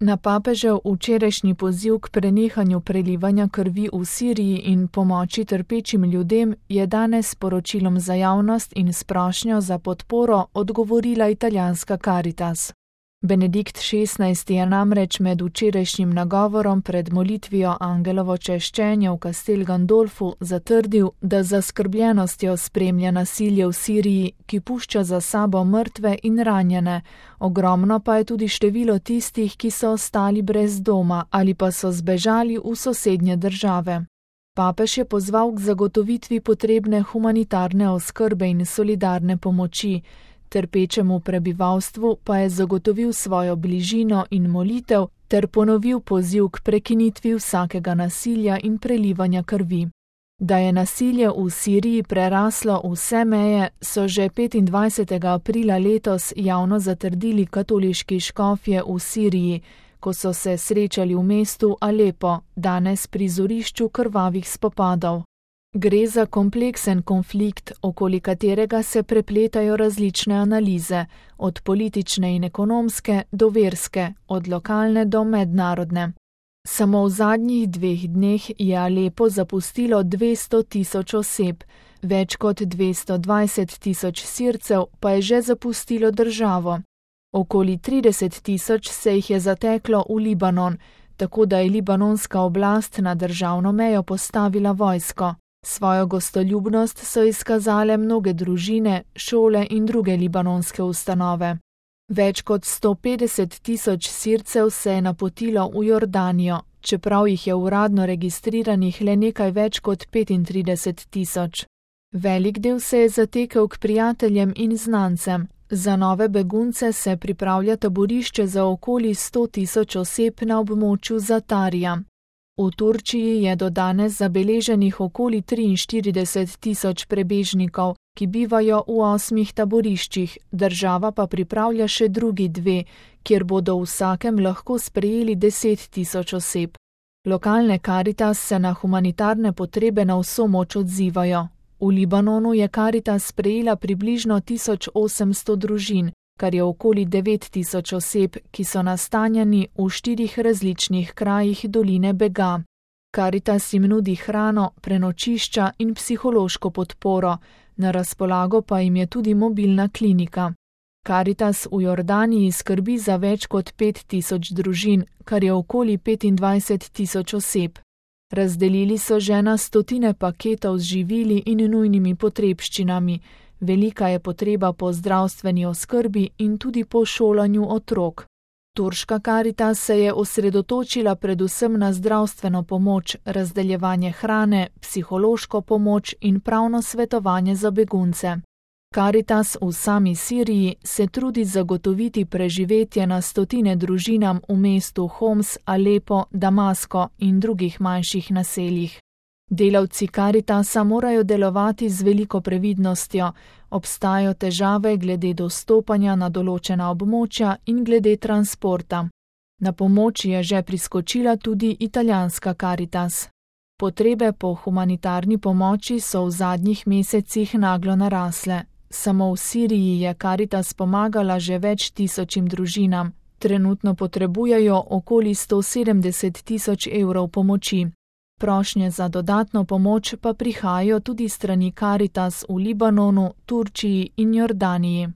Na papežev včerajšnji poziv k prenehanju prelivanja krvi v Siriji in pomoči trpečim ljudem je danes s sporočilom za javnost in s prošnjo za podporo odgovorila italijanska Caritas. Benedikt XVI je namreč med včerajšnjim nagovorom pred molitvijo Angelovo češčenje v Castel Gandolfu zatrdil, da z zaskrbljenostjo spremlja nasilje v Siriji, ki pušča za sabo mrtve in ranjene, ogromno pa je tudi število tistih, ki so ostali brez doma ali pa so zbežali v sosednje države. Papež je pozval k zagotovitvi potrebne humanitarne oskrbe in solidarne pomoči, trpečemu prebivalstvu pa je zagotovil svojo bližino in molitev ter ponovil poziv k prekinitvi vsakega nasilja in prelivanja krvi. Da je nasilje v Siriji preraslo vse meje, so že 25. aprila letos javno zatrdili katoliški škofje v Siriji, ko so se srečali v mestu Alepo, danes prizorišču krvavih spopadov. Gre za kompleksen konflikt, okoli katerega se prepletajo različne analize, od politične in ekonomske do verske, od lokalne do mednarodne. Samo v zadnjih 2 dneh je Alepo zapustilo 200 tisoč oseb, več kot 220 tisoč Sircev pa je že zapustilo državo. Okoli 30 tisoč se jih je zateklo v Libanon, tako da je libanonska oblast na državno mejo postavila vojsko. Svojo gostoljubnost so izkazale mnoge družine, šole in druge libanonske ustanove. Več kot 150 tisoč Sircev se je napotilo v Jordanijo, čeprav jih je uradno registriranih le nekaj več kot 35 tisoč. Velik del se je zatekel k prijateljem in znancem. Za nove begunce se pripravlja taborišče za okoli 100 tisoč oseb na območju Zatarija. V Turčiji je do danes zabeleženih okoli 43 tisoč prebežnikov, ki bivajo v 8 taboriščih, država pa pripravlja še drugi 2, kjer bodo v vsakem lahko sprejeli 10 tisoč oseb. Lokalne Caritas se na humanitarne potrebe na vso moč odzivajo. V Libanonu je Caritas sprejela približno 1800 družin, kar je okoli 9000 oseb, ki so nastanjeni v 4 različnih krajih doline Bega. Caritas jim nudi hrano, prenočišča in psihološko podporo, na razpolago pa jim je tudi mobilna klinika. Caritas v Jordaniji skrbi za več kot 5000 družin, kar je okoli 25 tisoč oseb. Razdelili so že na stotine paketov z živili in nujnimi potrebščinami. Velika je potreba po zdravstveni oskrbi in tudi po šolanju otrok. Turška Caritas se je osredotočila predvsem na zdravstveno pomoč, razdeljevanje hrane, psihološko pomoč in pravno svetovanje za begunce. Caritas v sami Siriji se trudi zagotoviti preživetje na stotine družinam v mestu Homs, Alepo, Damasko in drugih manjših naseljih. Delavci Caritasa morajo delovati z veliko previdnostjo, obstajajo težave glede dostopanja na določena območja in glede transporta. Na pomoč je že priskočila tudi italijanska Caritas. Potrebe po humanitarni pomoči so v zadnjih mesecih naglo narasle. Samo v Siriji je Caritas pomagala že več tisočim družinam, trenutno potrebujejo okoli 170 tisoč evrov pomoči. Prošnje za dodatno pomoč pa prihajajo tudi strani Caritas v Libanonu, Turčiji in Jordaniji.